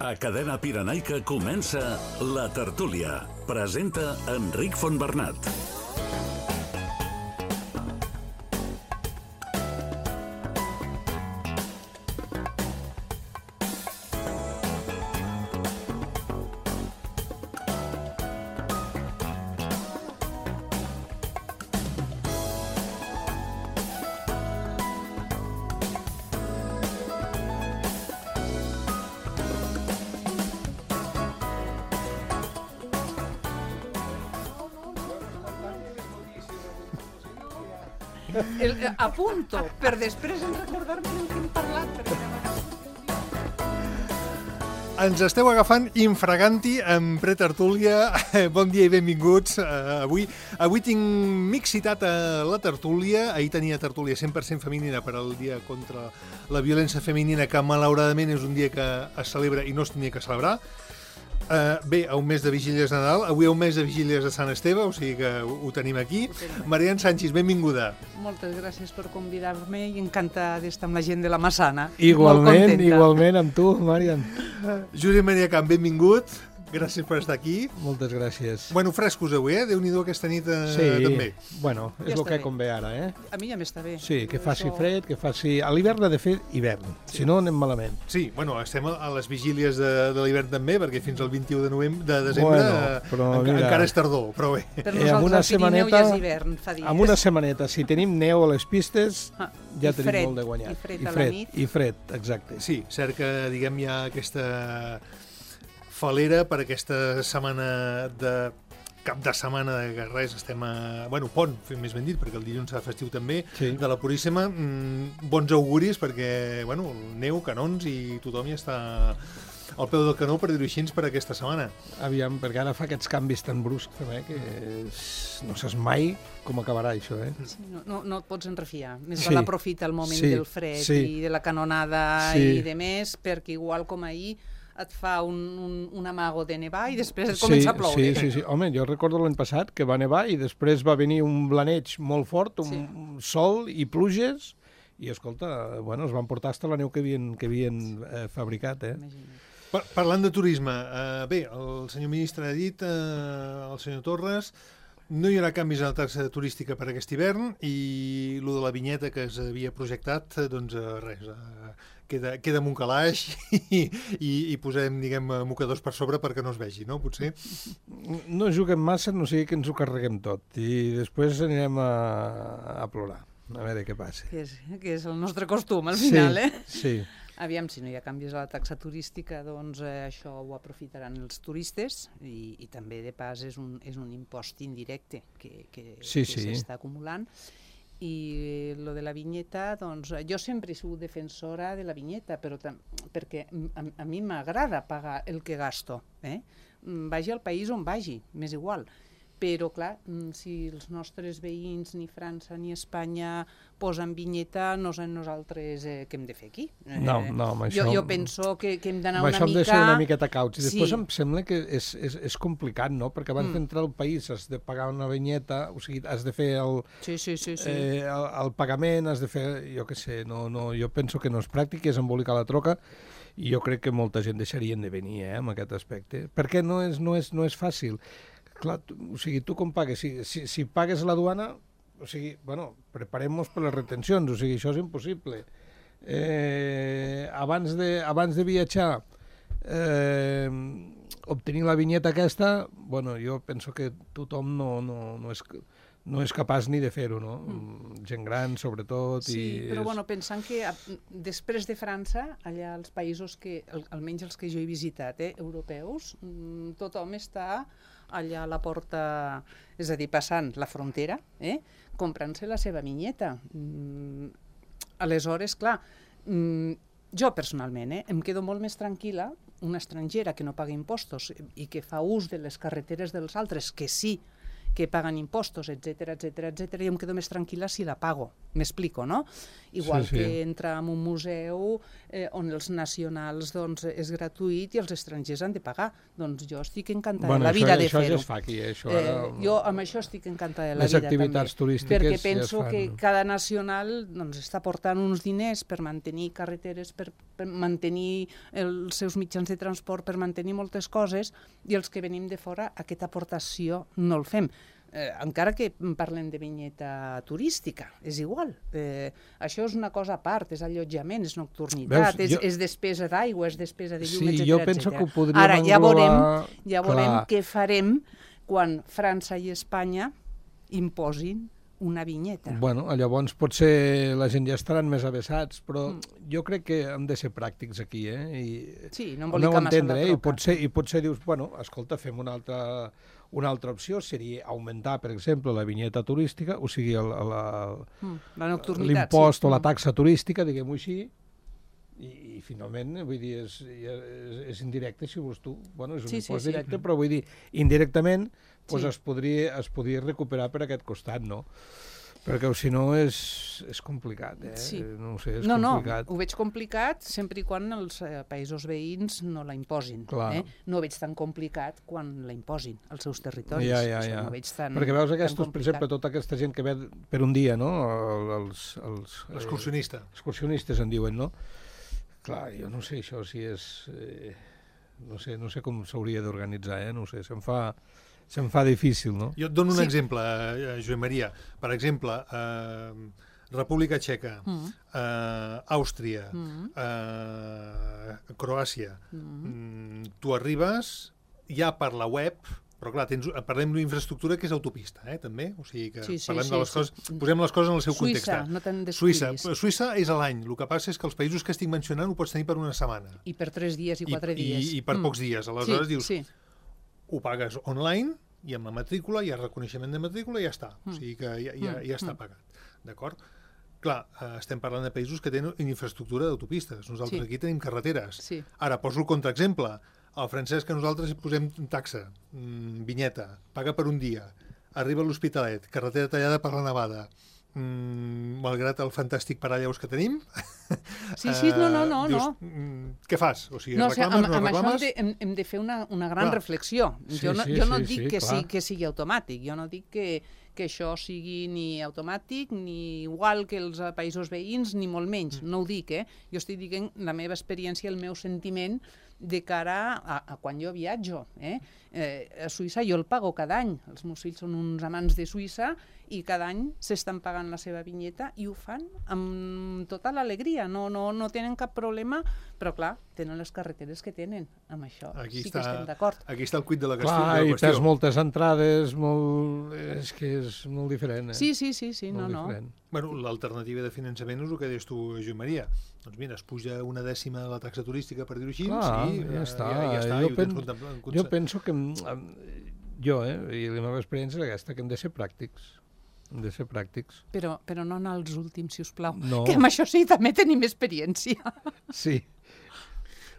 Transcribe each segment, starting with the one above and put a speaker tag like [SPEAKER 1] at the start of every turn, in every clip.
[SPEAKER 1] A Cadena Pirenaica comença La Tertúlia. Presenta Enric Fontbernat.
[SPEAKER 2] Apunto, per després recordar-me del que hem parlat.
[SPEAKER 3] Ens esteu agafant infraganti en pretertúlia. Bon dia i benvinguts. Avui tinc mixitat a la tertúlia. Ahir tenia tertúlia 100% femenina per al dia contra la violència femenina, que malauradament és un dia que es celebra i no es tenia que celebrar. Bé, a un mes de Vigílies de Nadal, avui a un mes de Vigílies de Sant Esteve, o sigui que ho tenim aquí. Marian Sánchez, benvinguda.
[SPEAKER 2] Moltes gràcies per convidar-me i encantada d'estar amb la gent de la Massana.
[SPEAKER 4] Igualment amb tu, Marian.
[SPEAKER 3] Josep Maria Camp, benvingut. Gràcies per estar aquí.
[SPEAKER 4] Moltes gràcies.
[SPEAKER 3] Bueno, frescos avui, Déu-n'hi-do aquesta nit també.
[SPEAKER 4] Bueno, és el que convé ara,
[SPEAKER 2] A mi ja m'està bé.
[SPEAKER 4] Sí, que faci fred, que faci... A l'hivern ha de fer hivern, si no anem malament.
[SPEAKER 3] Sí, bueno, estem a les vigílies de l'hivern també, perquè fins al 21 de desembre encara és tardor, però bé.
[SPEAKER 2] Per nosaltres al Pirineu ja és hivern, fa dies.
[SPEAKER 4] Amb una setmaneta, si tenim neu a les pistes, ja tenim molt de guanyat.
[SPEAKER 2] I fred a la nit.
[SPEAKER 4] I fred, exacte.
[SPEAKER 3] Sí, cert que, diguem, hi ha aquesta falera per aquesta setmana de cap de setmana de res, estem a... Bueno, pont, més ben dit, perquè el dilluns serà festiu també,
[SPEAKER 4] sí.
[SPEAKER 3] De la Puríssima. Bons auguris, perquè, bueno, neu, canons i tothom ja està al peu del canó, per dir-ho així, per aquesta setmana.
[SPEAKER 4] Aviam, perquè ara fa aquests canvis tan bruscs, també, que no saps mai com acabarà això,
[SPEAKER 2] Sí, no et pots enrefiar. Més val aprofitar el moment del fred i de la canonada i de més, perquè igual com ahir et fa un amago de nevar i després et comença a ploure.
[SPEAKER 4] Sí. Home, jo recordo l'any passat que va nevar i després va venir un blaneig molt fort, un sol i pluges, i escolta, bueno, es van portar fins la neu que havien fabricat,
[SPEAKER 3] Parlant de turisme, bé, el senyor ministre ha dit, el senyor Torres, no hi haurà canvis en la taxa turística per aquest hivern i el de la vinyeta que es havia projectat, doncs res, queda amb un calaix i posem, diguem, mocadors per sobre perquè no es vegi, no? Potser?
[SPEAKER 4] No juguem massa, no sigui que ens ho carreguem tot i després anirem a plorar, a veure què passa.
[SPEAKER 2] Que és el nostre costum, al final,
[SPEAKER 4] Sí.
[SPEAKER 2] Aviam, si no hi ha canvis a la taxa turística, doncs això ho aprofitaran els turistes i també, de pas, és un impost indirecte que s'està acumulant. I lo de la vinyeta, doncs, jo sempre he sigut defensora de la vinyeta, però perquè a mi m'agrada pagar el que gasto, vagi al país on vagi, m'és igual. Però, clar, si els nostres veïns, ni França ni Espanya, posen vinyeta, no sé nosaltres què hem de fer aquí.
[SPEAKER 4] No, amb això...
[SPEAKER 2] Jo penso que hem d'anar una mica...
[SPEAKER 4] Amb això hem de ser una miqueta cauts. I després em sembla que és complicat, no? Perquè abans d'entrar al país has de pagar una vinyeta, o sigui, has de fer el pagament, has de fer... Jo què sé, jo penso que no és pràctic, és embolicar la troca, i jo crec que molta gent deixarien de venir, amb aquest aspecte. Perquè no és fàcil. Clar, o sigui, tu com pagues? Si pagues la duana, o sigui, bueno, preparem-nos per les retencions, o sigui, això és impossible. Abans de viatjar, obtenir la vinyeta aquesta, bueno, jo penso que tothom no és capaç ni de fer-ho, no? Gent gran, sobretot.
[SPEAKER 2] Sí, però bueno, pensant que després de França, allà als països que, almenys els que jo he visitat, europeus, tothom està allà a la porta, és a dir, passant la frontera, comprant-se la seva vinyeta. Aleshores, clar, jo personalment em quedo molt més tranquil·la, una estrangera que no paga impostos i que fa ús de les carreteres dels altres, que sí que paguen impostos, etcètera, jo em quedo més tranquil·la si la pago, m'explico, no? Igual que entrar en un museu on els nacionals és gratuït i els estrangers han de pagar. Doncs jo estic encantada de la vida de fer-ho.
[SPEAKER 4] Això ja es fa aquí, això.
[SPEAKER 2] Jo amb això estic encantada de la vida també.
[SPEAKER 4] Les activitats turístiques
[SPEAKER 2] perquè penso que cada nacional està portant uns diners per mantenir carreteres, per mantenir els seus mitjans de transport, per mantenir moltes coses, i els que venim de fora aquesta aportació no el fem. Encara que parlem de vinyeta turística, és igual. Això és una cosa a part, és allotjament, és nocturnitat, és despesa d'aigua, és despesa de llum, etc.
[SPEAKER 4] Sí, jo penso que ho podríem
[SPEAKER 2] englobar... Ara ja veurem què farem quan França i Espanya imposin una vinyeta.
[SPEAKER 4] Bueno, llavors potser la gent ja estaran més avesats, però jo crec que hem de ser pràctics aquí,
[SPEAKER 2] Sí, no embolicar massa la troca.
[SPEAKER 4] I potser dius, bueno, escolta, fem una altra opció seria augmentar, per exemple, la vinyeta turística, o sigui, l'impost o la taxa turística, diguem-ho així, i finalment, vull dir, és indirecte, si vols tu. Bueno, és un impost directe, però vull dir, indirectament es podria recuperar per aquest costat, no? Perquè si no és complicat, no ho sé, és complicat.
[SPEAKER 2] No, ho veig complicat sempre i quan els països veïns no la imposin. No ho veig tan complicat quan la imposin als seus territoris.
[SPEAKER 4] Ja. Perquè veus aquests, per exemple, tota aquesta gent que ve per un dia, no? Els excursionistes en diuen, no? Clar, jo no sé això si és... No sé com s'hauria d'organitzar, no sé, se'm fa difícil, no?
[SPEAKER 3] Jo et dono un exemple, Joan Maria. Per exemple, República Txeca, Àustria, Croàcia. Tu arribes ja per la web, però clar, parlem d'una infraestructura que és autopista, també? O sigui que parlem de les coses, posem les coses en el seu context.
[SPEAKER 2] Suïssa, no te'n descuidis.
[SPEAKER 3] Suïssa és a l'any, el que passa és que els països que estic mencionant ho pots tenir per una setmana.
[SPEAKER 2] I per 3 dies i 4 dies.
[SPEAKER 3] I per pocs dies, aleshores dius... Ho pagues online i amb la matrícula, hi ha reconeixement de matrícula i ja està. O sigui que ja està pagat. D'acord? Clar, estem parlant de països que tenen infraestructura d'autopistes. Nosaltres aquí tenim carreteres. Ara, poso el contraexemple. El francès que nosaltres posem taxa, vinyeta, paga per un dia, arriba a l'Hospitalet, carretera tallada per la nevada. Malgrat el fantàstic parallaus que tenim...
[SPEAKER 2] No.
[SPEAKER 3] Dius, què fas? O sigui, reclames, no reclames?
[SPEAKER 2] Amb això hem de fer una gran reflexió. Jo no dic que sigui automàtic, jo no dic que això sigui ni automàtic, ni igual que els països veïns, ni molt menys. No ho dic, Jo estic dient la meva experiència, el meu sentiment de cara a quan jo viatjo. A Suïssa jo el pago cada any. Els meus fills són uns amants de Suïssa i cada any s'estan pagant la seva vinyeta i ho fan amb tota l'alegria. No tenen cap problema, però clar, tenen les carreteres que tenen. Amb això sí que estem d'acord.
[SPEAKER 3] Aquí està el quid de la qüestió.
[SPEAKER 4] Clar, i tens moltes entrades, és que és molt diferent.
[SPEAKER 2] Sí, no.
[SPEAKER 3] Bueno, l'alternativa de finançament és el que deies tu, Joan Maria. Doncs mira, es puja 1/10 la taxa turística, per dir-ho així,
[SPEAKER 4] ja està. Jo penso que i la meva experiència és aquesta, que hem de ser pràctics. Hem de ser pràctics.
[SPEAKER 2] Però no anar als últims, si us plau.
[SPEAKER 4] No.
[SPEAKER 2] Que amb això sí també tenim experiència.
[SPEAKER 4] Sí.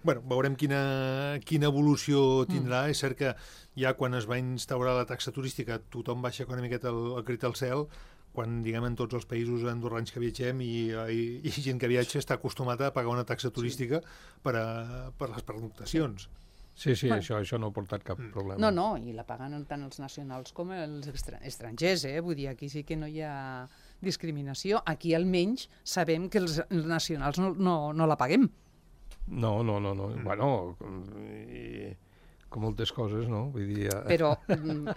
[SPEAKER 3] Bueno, veurem quina evolució tindrà. És cert que ja quan es va instaurar la taxa turística tothom baixa una miqueta el crit al cel, quan, diguem, en tots els països andorrans que viatgem i gent que viatja està acostumada a pagar una taxa turística per les pernoctacions.
[SPEAKER 4] Sí, això no ha portat cap problema.
[SPEAKER 2] No, i la paguen tant els nacionals com els estrangers, Vull dir, aquí sí que no hi ha discriminació. Aquí almenys sabem que els nacionals no la paguem.
[SPEAKER 4] No. Bueno, com moltes coses, no? Vull dir...
[SPEAKER 2] Però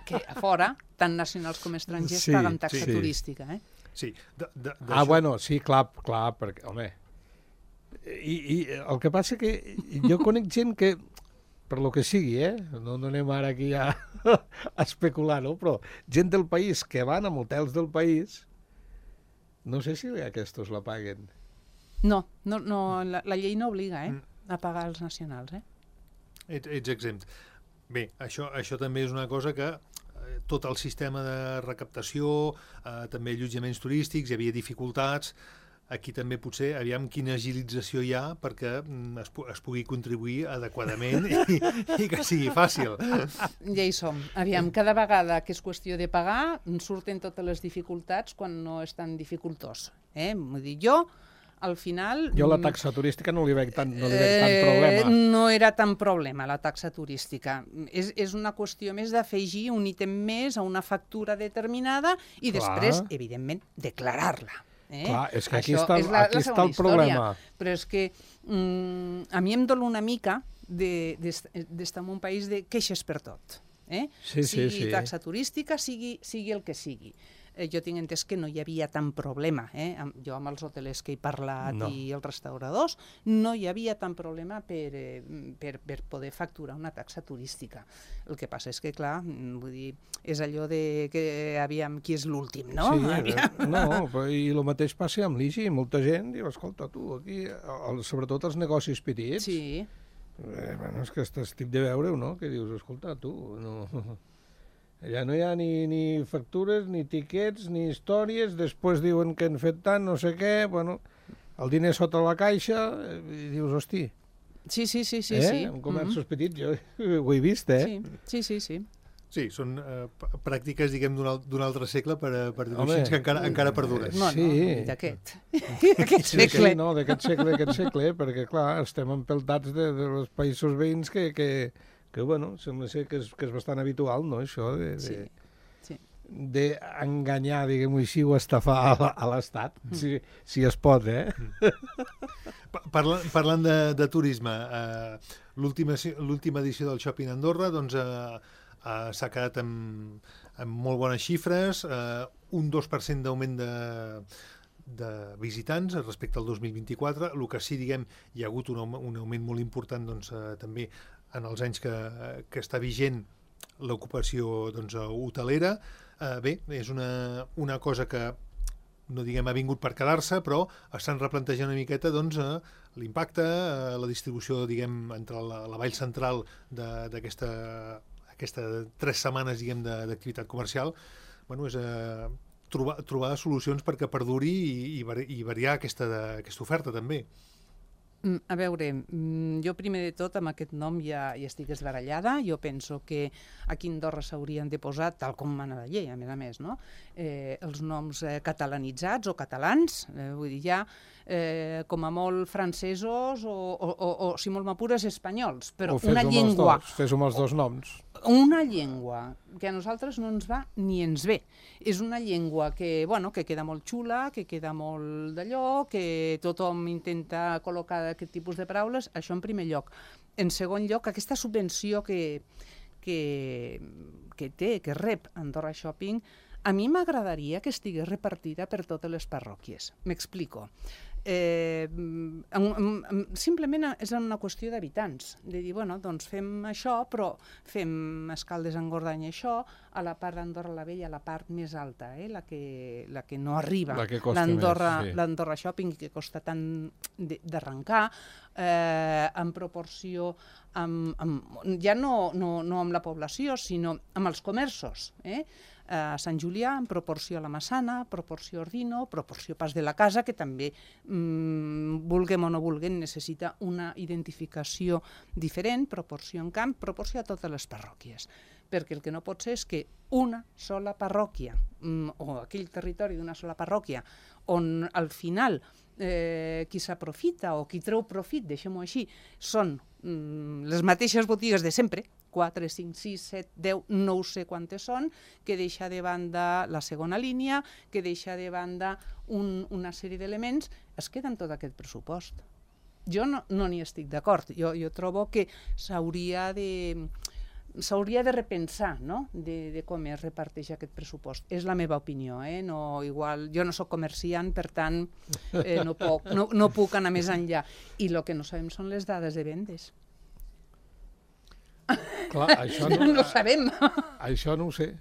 [SPEAKER 2] que a fora, tant nacionals com estrangers paguen taxa turística,
[SPEAKER 3] Sí.
[SPEAKER 4] Bueno, sí, clar, perquè, home... I el que passa que jo conec gent que, per lo que sigui, no anem ara aquí a especular, no? Però gent del país que van a hotels del país, no sé si aquests la paguen.
[SPEAKER 2] No, la llei no obliga, a pagar els nacionals,
[SPEAKER 3] Ets exempt. Bé, això també és una cosa que tot el sistema de recaptació, també allotjaments turístics, hi havia dificultats. aquí també potser, aviam quina agilització hi ha perquè es pugui contribuir adequadament i que sigui fàcil.
[SPEAKER 2] Ja hi som. Aviam, cada vegada que és qüestió de pagar, surten totes les dificultats quan no és tan dificultós. Vull dir, jo, al final...
[SPEAKER 4] Jo la taxa turística no li veig tant problema.
[SPEAKER 2] No era tan problema, la taxa turística. És una qüestió més d'afegir un ítem més a una factura determinada i després, evidentment, declarar-la.
[SPEAKER 4] Clar, és que aquí està el problema.
[SPEAKER 2] Però és que a mi em dol una mica d'estar en un país de queixes per tot. Sigui taxa turística, sigui el que sigui. Jo tinc entès que no hi havia tant problema. Jo amb els hotelers que he parlat i els restauradors, no hi havia tant problema per poder facturar una taxa turística. El que passa és que, clar, vull dir, és allò de que aviam qui és l'últim, no?
[SPEAKER 4] I el mateix passa amb l'IGI. Molta gent diu, escolta, tu, aquí, sobretot els negocis petits, és que estic de veure-ho, no? Que dius, escolta, tu, no... Ja no hi ha ni factures, ni tiquets, ni històries, després diuen que han fet tant, no sé què, bueno, el diner sota la caixa, i dius, hosti...
[SPEAKER 2] Sí.
[SPEAKER 4] En comerços petits, jo ho he vist,
[SPEAKER 2] Sí.
[SPEAKER 3] Sí, són pràctiques, diguem, d'un altre segle per dir-ho així, que encara perduren.
[SPEAKER 2] No, d'aquest segle.
[SPEAKER 4] Sí, no, d'aquest segle, perquè, clar, estem empeltats dels països veïns que bueno, sembla ser que és bastant habitual, no?, això d'enganyar, diguem-ho així, o estafar a l'Estat, si es pot,
[SPEAKER 3] Parlant de turisme, l'última edició del Shopping Andorra, doncs, s'ha quedat amb molt bones xifres, un 2% d'augment de visitants respecte al 2024, el que sí, diguem, hi ha hagut un augment molt important, doncs, també en els anys que està vigent l'ocupació, doncs, hotelera. Bé, és una cosa que, no diguem, ha vingut per quedar-se, però estan replantejant una miqueta, doncs, l'impacte, la distribució, diguem, entre la vall central d'aquesta 3 setmanes, diguem, d'activitat comercial. Bueno, és trobar solucions perquè perduri i variar aquesta oferta, també.
[SPEAKER 2] A veure, jo primer de tot amb aquest nom ja estic esbarallada. Jo penso que aquí a Andorra s'haurien de posar, tal com mana la llei, a més, no? Els noms catalanitzats o catalans, vull dir, ja com a molt francesos o si molt m'apures, espanyols, però una llengua...
[SPEAKER 4] Fes-ho amb els dos noms.
[SPEAKER 2] Una llengua que a nosaltres no ens va ni ens ve. És una llengua que queda molt xula, que queda molt d'allò, que tothom intenta col·locar aquest tipus de paraules, això en primer lloc. En segon lloc, aquesta subvenció que rep Andorra Shopping, a mi m'agradaria que estigués repartida per totes les parròquies. M'explico. Simplement és una qüestió d'habitants, de dir, bueno, doncs fem això, però fem Escaldes en Gordany això, a la part d'Andorra la Vella, la part més alta, la que no arriba, l'Andorra Shopping, que costa tant d'arrencar, en proporció, ja no amb la població, sinó amb els comerços, a Sant Julià, en proporció a la Massana, proporció a Ordino, proporció a Pas de la Casa, que també, vulguem o no vulguem, necessita una identificació diferent, proporció en camp, proporció a totes les parròquies. Perquè el que no pot ser és que una sola parròquia, o aquell territori d'una sola parròquia, on al final qui s'aprofita o qui treu profit, deixem-ho així, són les mateixes botigues de sempre, 4, 5, 6, 7, 10, no sé quantes són, que deixa de banda la segona línia, que deixa de banda una sèrie d'elements, es queda en tot aquest pressupost. Jo no n'hi estic d'acord. Jo trobo que s'hauria de repensar, no?, de com es reparteix aquest pressupost. És la meva opinió, jo no soc comerciant, per tant, no puc anar més enllà. I el que no sabem són les dades de vendes.
[SPEAKER 4] Clar, això
[SPEAKER 2] no ho sabem.
[SPEAKER 4] Això no ho sé.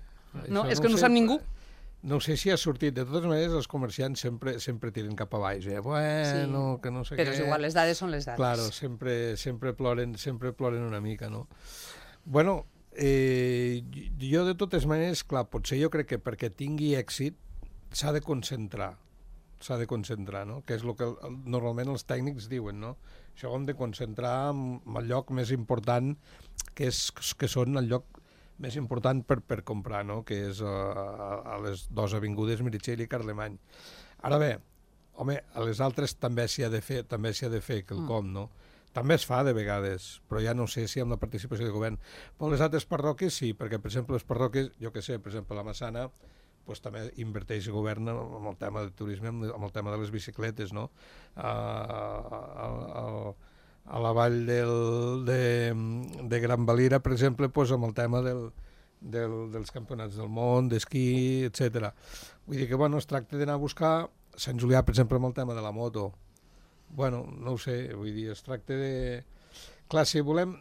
[SPEAKER 2] No, és que no ho sap ningú.
[SPEAKER 4] No sé si ha sortit. De totes maneres, els comerciants sempre tiren cap a baix. Bueno, que no sé què...
[SPEAKER 2] Però és igual, les dades són les dades.
[SPEAKER 4] Claro, sempre ploren una mica, no? Bueno, jo de totes maneres, clar, potser jo crec que perquè tingui èxit s'ha de concentrar. s'ha de concentrar, no? Que és el que normalment els tècnics diuen, no? Això ho hem de concentrar en el lloc més important, que són el lloc més important per comprar, no? Que és a les dues avingudes Meritxell i Carlemany. Ara bé, home, a les altres també s'hi ha de fer quelcom, no? També es fa de vegades, però ja no sé si amb la participació del govern. Però les altres parròquies sí, perquè, per exemple, les parròquies, jo què sé, per exemple, la Massana, doncs també inverteix el govern amb el tema del turisme, amb el tema de les bicicletes, no? A la vall de Gran Valira, per exemple, doncs amb el tema dels campionats del món, d'esquí, etc. Vull dir que, bueno, es tracta d'anar a buscar Sant Julià, per exemple, amb el tema de la moto. Bueno, no ho sé, vull dir, es tracta de... Clar, si volem,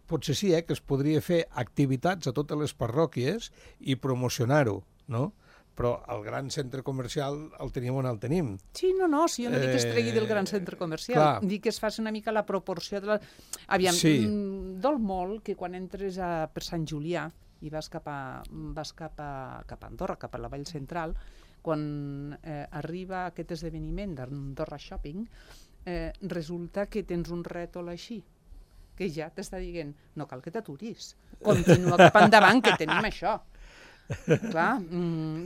[SPEAKER 4] potser sí, que es podria fer activitats a totes les parròquies i promocionar-ho, no? Però el gran centre comercial el tenim on el tenim.
[SPEAKER 2] Sí, no, si jo no dic que es tregui del gran centre comercial, dic que es faci una mica la proporció de la... Aviam, dol molt que quan entres per Sant Julià i vas cap a Andorra, cap a la Vall Central, quan arriba aquest esdeveniment d'Andorra Shopping, resulta que tens un rètol així, que ja t'està dient, no cal que t'aturis, continua cap endavant, que tenim això. Clar,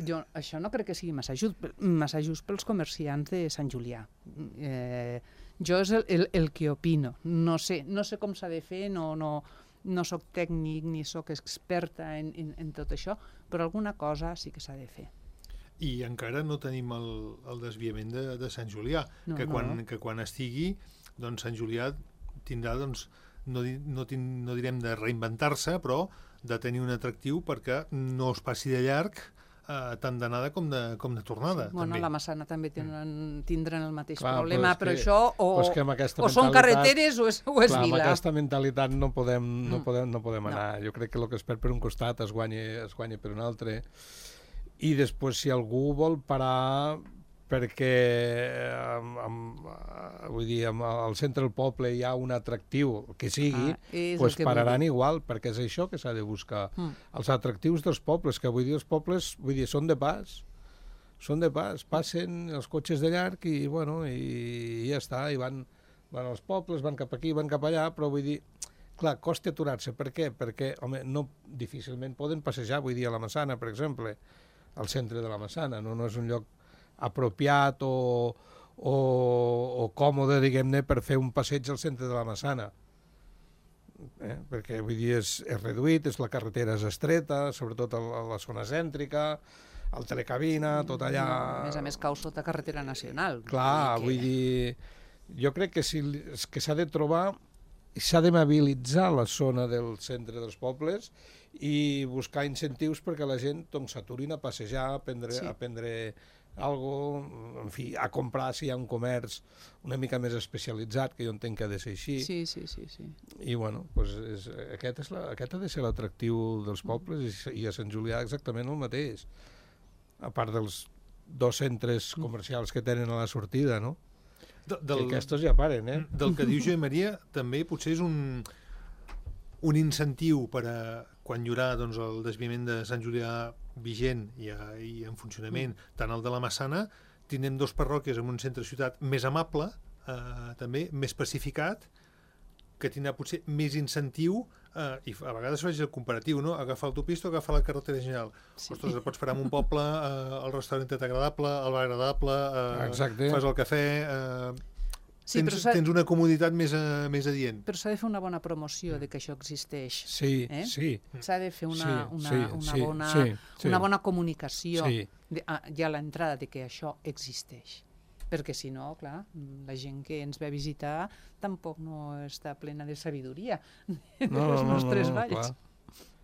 [SPEAKER 2] jo això no crec que sigui massa just pels comerciants de Sant Julià. Jo és el que opino. No sé com s'ha de fer, no soc tècnic ni soc experta en tot això, però alguna cosa sí que s'ha de fer.
[SPEAKER 3] I encara no tenim el desviament de Sant Julià, que quan estigui, doncs Sant Julià tindrà, doncs, no direm de reinventar-se, però de tenir un atractiu perquè no es passi de llarg tant d'anada com de tornada.
[SPEAKER 2] Bueno,
[SPEAKER 3] també.
[SPEAKER 2] La Massana també tindran el mateix problema, però això o
[SPEAKER 4] són
[SPEAKER 2] carreteres o és vila.
[SPEAKER 4] Amb aquesta mentalitat no podem anar. Jo crec que el que es perd per un costat es guanya per un altre. I després, si algú vol parar perquè vull dir, al centre del poble hi ha un atractiu que sigui, doncs pararan igual, perquè és això que s'ha de buscar. Els atractius dels pobles, que vull dir, els pobles són de pas, passen els cotxes de llarg i, bueno, i ja està, i van als pobles, van cap aquí, van cap allà, però vull dir, clar, costa aturar-se. Per què? Perquè, home, difícilment poden passejar, vull dir, a la Massana, per exemple, al centre de la Massana, no és un lloc apropiat o còmode, diguem-ne, per fer un passeig al centre de la Massana. Perquè, vull dir, és reduït, la carretera és estreta, sobretot a la zona cèntrica, al telecabina, tot allà...
[SPEAKER 2] A més, cau sota carretera nacional.
[SPEAKER 4] Clar, vull dir, jo crec que s'ha de trobar, s'ha de mobilitzar la zona del centre dels pobles i buscar incentius perquè la gent s'aturin a passejar, a prendre algo, en fi, a comprar si hi ha un comerç una mica més especialitzat, que jo entenc que ha de ser així.
[SPEAKER 2] Sí.
[SPEAKER 4] I, bueno, doncs aquest ha de ser l'atractiu dels pobles i a Sant Julià exactament el mateix, a part dels dos centres comercials que tenen a la sortida, no? Que aquests ja paren,
[SPEAKER 3] Del que diu Joan Maria, també potser és un incentiu per a quan hi haurà el desviament de Sant Julià vigent i en funcionament, tant el de la Massana, tindrem dos parròquies en un centre de ciutat més amable, també més pacificat, que tindrà potser més incentiu, i a vegades faig el comparatiu, no? Agafar l'autopista o agafar la carretera general. Ostres, et pots parar en un poble, el restaurant agradable, el bar agradable, fas el cafè... Tens una comoditat més adient.
[SPEAKER 2] Però s'ha de fer una bona promoció de que això existeix.
[SPEAKER 4] Sí.
[SPEAKER 2] S'ha de fer una bona comunicació ja a l'entrada de que això existeix. Perquè si no, clar, la gent que ens ve a visitar tampoc no està plena de sabidoria dels nostres valls.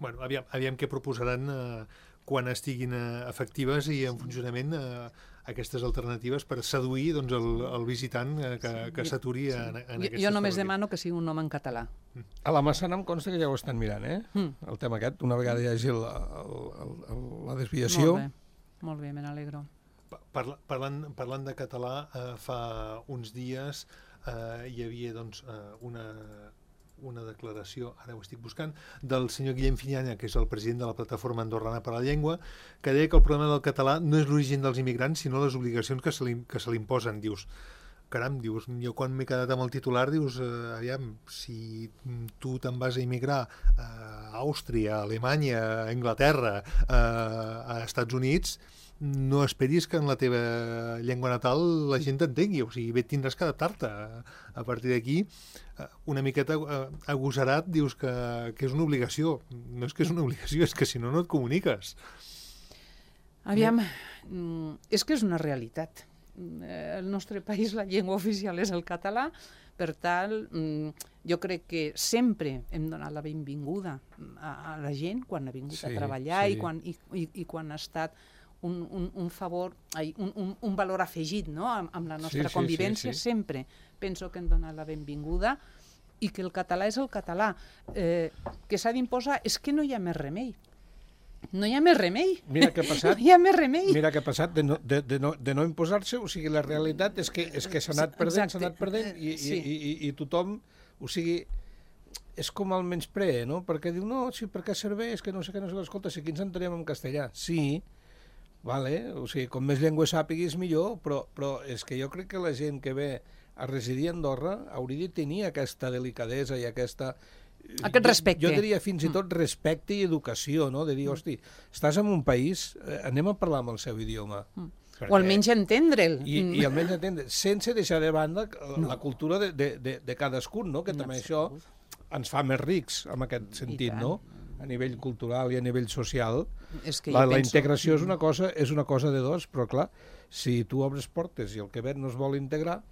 [SPEAKER 3] Bueno, aviam què proposaran quan estiguin efectives i en funcionament aquestes alternatives per seduir el visitant que s'aturi en aquestes...
[SPEAKER 2] Jo només demano que sigui un nom en català.
[SPEAKER 4] A la Massana em consta que ja ho estan mirant, el tema aquest, una vegada hi hagi la desviació.
[SPEAKER 2] Molt bé, me n'alegro.
[SPEAKER 3] Parlant de català, fa uns dies hi havia una declaració, ara ho estic buscant, del senyor Guillem Finyanya, que és el president de la Plataforma Andorrana per la Llengua, que deia que el problema del català no és l'origen dels immigrants, sinó les obligacions que se li imposen. Dius, caram, dius, jo quan m'he quedat amb el titular, dius, aviam, si tu te'n vas a immigrar a Àustria, a Alemanya, a Anglaterra, a Estats Units, no esperis que en la teva llengua natal la gent t'entengui, o sigui, bé tindràs que adaptar-te. A partir d'aquí, una miqueta agosarat dius que és una obligació. No és que és una obligació, és que si no, no et comuniques.
[SPEAKER 2] Aviam, és que és una realitat. Al nostre país la llengua oficial és el català, per tant, jo crec que sempre hem donat la benvinguda a la gent quan ha vingut a treballar i quan ha estat un favor, un valor afegit, no? Amb la nostra convivència. Sempre penso que hem donat la benvinguda i que el català és el català. Que s'ha d'imposar, és que no hi ha més remei. No hi ha més remei.
[SPEAKER 4] Mira què ha passat.
[SPEAKER 2] No hi ha més remei.
[SPEAKER 4] Mira què ha passat de no imposar-se, o sigui, la realitat és que s'ha anat perdent i tothom, o sigui, és com el menyspree, no? Perquè diu, no, sí, per què serveix, que no sé què, escolta, si aquí ens entenem en castellà. Sí, vale, o sigui, com més llengües sàpiguis millor, però és que jo crec que la gent que ve a residir a Andorra hauria de tenir aquesta delicadesa i aquest
[SPEAKER 2] respecte.
[SPEAKER 4] Jo diria fins i tot respecte i educació, no? De dir, hosti, estàs en un país, anem a parlar amb el seu idioma.
[SPEAKER 2] O almenys entendre'l.
[SPEAKER 4] I almenys entendre, sense deixar de banda la cultura de cadascun, no? Que també això ens fa més rics en aquest sentit, no? A nivell cultural i a nivell social. La integració és una cosa de dos, però clar, si tu obres portes i el que ve no es vol integrar,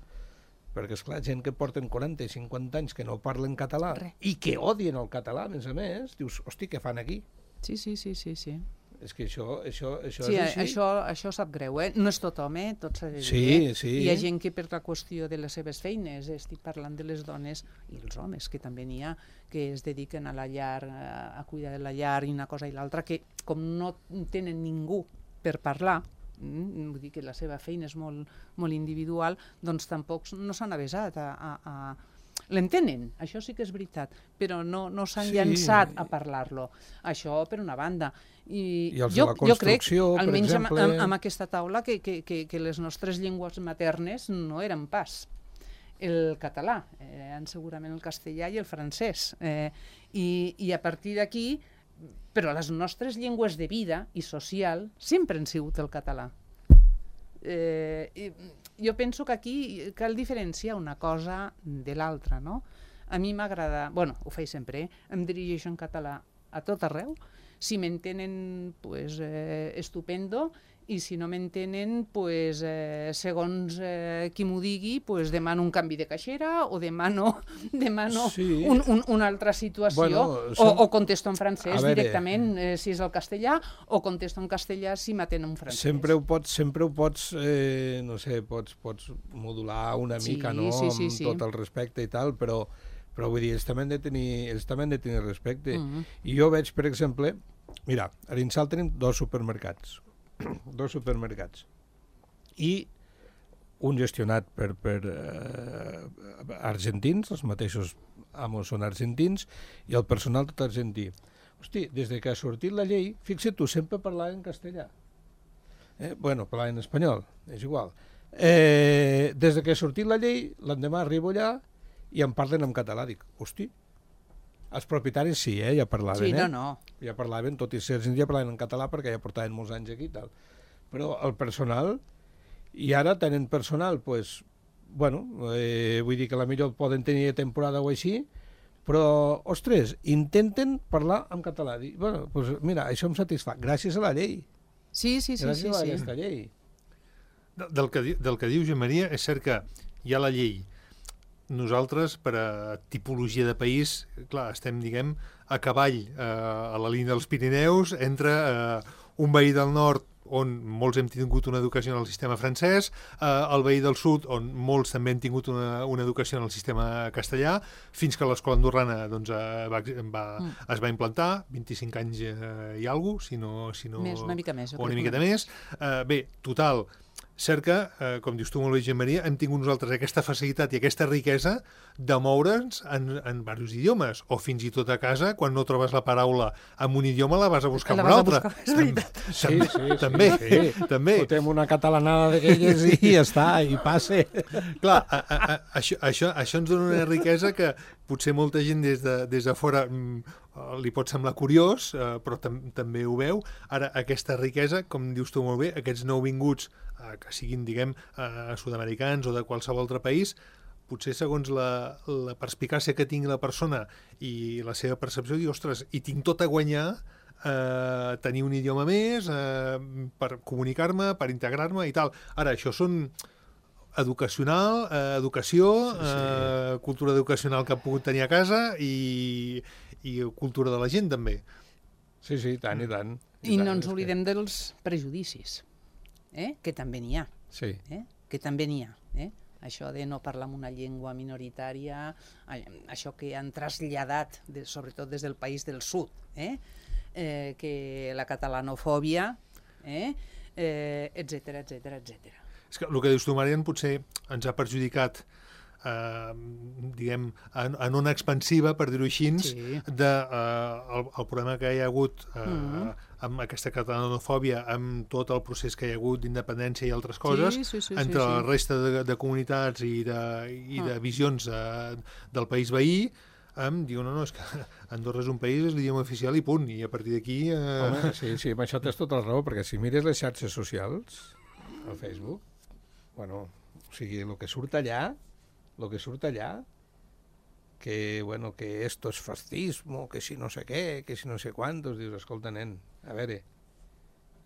[SPEAKER 4] perquè esclar, gent que porten 40 i 50 anys que no parlen català i que odien el català, a més, dius, hosti, què fan aquí?
[SPEAKER 2] Sí.
[SPEAKER 4] És que això és
[SPEAKER 2] així. Això sap greu, No és tothom, tot s'ha de dir.
[SPEAKER 4] Sí.
[SPEAKER 2] Hi ha gent que per la qüestió de les seves feines, estic parlant de les dones i els homes, que també n'hi ha, que es dediquen a la llar, a cuidar de la llar i una cosa i l'altra, que com no tenen ningú per parlar, vull dir que la seva feina és molt individual, doncs tampoc no s'han avesat a l'entenen, això sí que és veritat, però no s'han llançat a parlar-lo. Això per una banda.
[SPEAKER 4] I els de la construcció, per exemple...
[SPEAKER 2] Almenys amb aquesta taula, que les nostres llengües maternes no eren pas el català, segurament el castellà i el francès. I a partir d'aquí, però les nostres llengües de vida i social sempre han sigut el català. Jo penso que aquí cal diferenciar una cosa de l'altra, no? A mi m'agrada, ho faig sempre, em dirigeixo en català a tot arreu, si m'entenen, pues, estupendo, i si no m'entenen, pues, segons qui m'ho digui, pues, demano un canvi de caixera o demano una altra situació, o contesto en francès directament si és el castellà, o contesto en castellà si m'atenen en francès.
[SPEAKER 4] Sempre ho pots, no sé, pots modular una mica, no?, amb tot el respecte i tal, però vull dir, ells també han de tenir respecte. I jo veig, per exemple, mira, a l'Insal tenim dos supermercats i un gestionat per argentins, els mateixos amos són argentins, i el personal tot argentí. Hosti, des que ha sortit la llei, fixa't tu, sempre parlaven en castellà. Parlaven en espanyol, és igual. Des que ha sortit la llei, l'endemà arribo allà i em parlen en català. Dic, hosti, els propietaris sí, ja parlaven.
[SPEAKER 2] Sí, no.
[SPEAKER 4] Ja parlaven, tot i ser argentins, ja parlaven en català perquè ja portaven molts anys aquí i tal. Però el personal, i ara tenen personal, doncs, vull dir que la millor poden tenir temporada o així, però, ostres, intenten parlar en català. Dic, mira, això em satisfà, gràcies a la llei.
[SPEAKER 2] Sí.
[SPEAKER 4] Gràcies a aquesta llei.
[SPEAKER 3] Del que diu Joan Maria, és cert que hi ha la llei. Nosaltres, per a tipologia de país, clar, estem, diguem, a cavall a la línia dels Pirineus, entre un veí del nord on molts hem tingut una educació en el sistema francès, el veí del sud, on molts també han tingut una educació en el sistema castellà, fins que l'escola andorrana es va implantar, 25 anys i alguna cosa, si no...
[SPEAKER 2] Una mica més.
[SPEAKER 3] O una miqueta més. Bé, total, cert que, com dius tu molt bé, Jean Maria, hem tingut nosaltres aquesta facilitat i aquesta riquesa de moure'ns en diversos idiomes, o fins i tot a casa, quan no trobes la paraula en un idioma, la vas a buscar en un altre.
[SPEAKER 2] És veritat.
[SPEAKER 3] També.
[SPEAKER 4] Fotem una catalanada d'aquelles i ja està, i passe.
[SPEAKER 3] Clar, això ens dona una riquesa que potser molta gent des de fora li pot semblar curiós, però també ho veu. Ara, aquesta riquesa, com dius tu molt bé, aquests nouvinguts, que siguin, diguem, sud-americans o de qualsevol altre país, potser segons la perspicàcia que tingui la persona i la seva percepció, diu, ostres, hi tinc tot a guanyar tenir un idioma més, per comunicar-me, per integrar-me i tal. Ara, això són educació, cultura educacional que ha pogut tenir a casa i cultura de la gent, també.
[SPEAKER 4] Sí, tant i tant.
[SPEAKER 2] I no ens oblidem dels prejudicis, que també n'hi ha.
[SPEAKER 4] Sí.
[SPEAKER 2] Que també n'hi ha. Això de no parlar en una llengua minoritària, això que han traslladat, sobretot des del país del sud, que la catalanofòbia, etcètera.
[SPEAKER 3] És que el que dius tu, Marian, potser ens ha perjudicat diguem, en ona expansiva, per dir-ho així, el problema que hi ha hagut amb aquesta catalanofòbia, amb tot el procés que hi ha hagut d'independència i altres coses, entre la resta de comunitats i de visions del país veí, diu, no, és que Andorra és un país, és l'idioma oficial i punt, i a partir d'aquí...
[SPEAKER 4] Home, sí, amb això tens tota la raó, perquè si mires les xarxes socials, al Facebook, bueno, o sigui, el que surt allà, que esto es fascismo, que si no sé què, que si no sé quantos, dius, escolta, nen, a veure,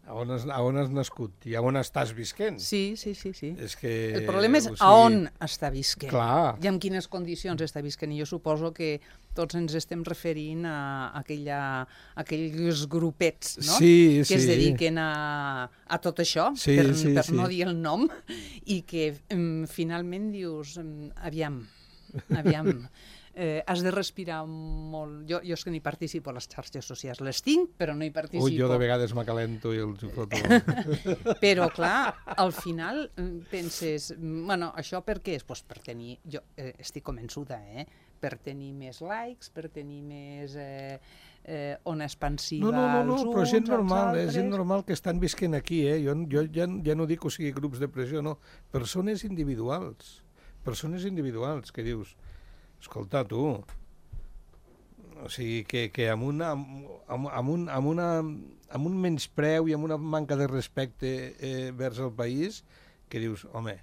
[SPEAKER 4] a on has nascut i a on estàs visquent?
[SPEAKER 2] Sí.
[SPEAKER 4] És que,
[SPEAKER 2] el problema és a on està visquent.
[SPEAKER 4] Clar.
[SPEAKER 2] I en quines condicions està visquent. I jo suposo que tots ens estem referint a aquells grupets, no?
[SPEAKER 4] Que
[SPEAKER 2] es dediquen a tot això, per no dir el nom, i que finalment dius, aviam, has de respirar molt. Jo és que no hi participo a les xarxes socials. Les tinc, però no hi participo.
[SPEAKER 4] Jo de vegades m'acalento i els ho foto.
[SPEAKER 2] Però, clar, al final penses, bueno, això per què és? Doncs per tenir, jo estic convençuda, per tenir més likes, per tenir més ona expansiva als uns,
[SPEAKER 4] però és gent normal que estan visquent aquí, Jo ja no dic, o sigui, grups de pressió, no. Persones individuals que dius, escolta, tu, o sigui, que amb un menyspreu i amb una manca de respecte vers el país, que dius, home...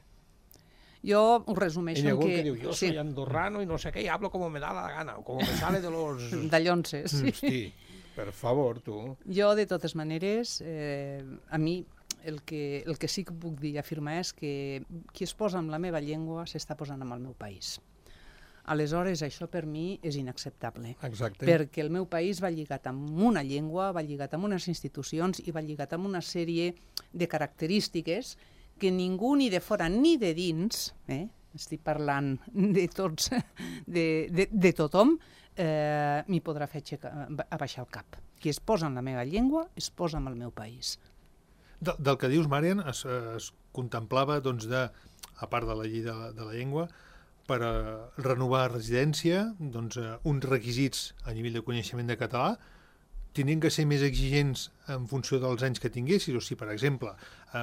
[SPEAKER 2] Jo ho resumeixo en que...
[SPEAKER 4] diu, yo soy andorrano y no sé qué, y hablo como me da la gana, o como me sale de los...
[SPEAKER 2] Dallonses, sí.
[SPEAKER 4] Hosti, per favor, tu.
[SPEAKER 2] Jo, de totes maneres, a mi el que sí que puc dir i afirmar és que qui es posa amb la meva llengua s'està posant amb el meu país. Aleshores, això per mi és inacceptable.
[SPEAKER 4] Exacte.
[SPEAKER 2] Perquè el meu país va lligat amb una llengua, va lligat amb unes institucions i va lligat amb una sèrie de característiques que ningú ni de fora ni de dins, estic parlant de tots, de tothom, m'hi podrà fer abaixar el cap. Qui es posa en la meva llengua es posa en el meu país.
[SPEAKER 3] Del que dius, Marian, es contemplava, doncs, a part de la llei de la llengua, per renovar residència, doncs, uns requisits a nivell de coneixement de català, tenien que ser més exigents en funció dels anys que tinguessis. O sigui, per exemple,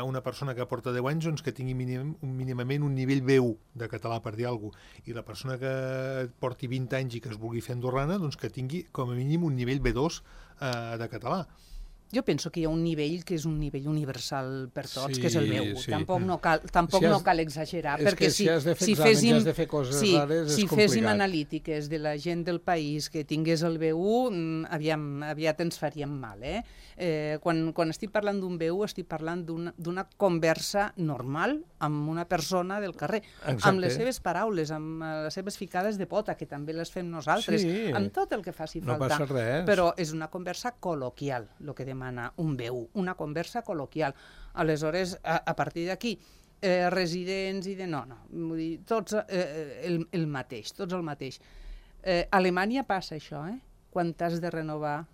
[SPEAKER 3] una persona que porta 10 anys doncs, que tingui mínimament un nivell B1 de català, per dir alguna cosa, i la persona que porti 20 anys i que es vulgui fer andorrana, doncs que tingui com a mínim un nivell B2 de català.
[SPEAKER 2] Jo penso que hi ha un nivell que és un nivell universal per tots, que és el meu.
[SPEAKER 4] Sí.
[SPEAKER 2] Tampoc no cal exagerar, perquè
[SPEAKER 4] si has de fer exàmens, has de fer coses rares, és complicat.
[SPEAKER 2] Si féssim analítiques de la gent del país que tingués el B1, aviat ens faríem mal. Quan estic parlant d'un B1, estic parlant d'una conversa normal amb una persona del carrer, amb les seves paraules, amb les seves ficades de pota, que també les fem nosaltres, amb tot el que faci falta.
[SPEAKER 4] No passa res.
[SPEAKER 2] Però és una conversa col·loquial, el que demana un B1, una conversa col·loquial. Aleshores, a partir d'aquí, residents i no, vull dir, tots el mateix, tots el mateix. A Alemanya passa això, quan t'has de renovar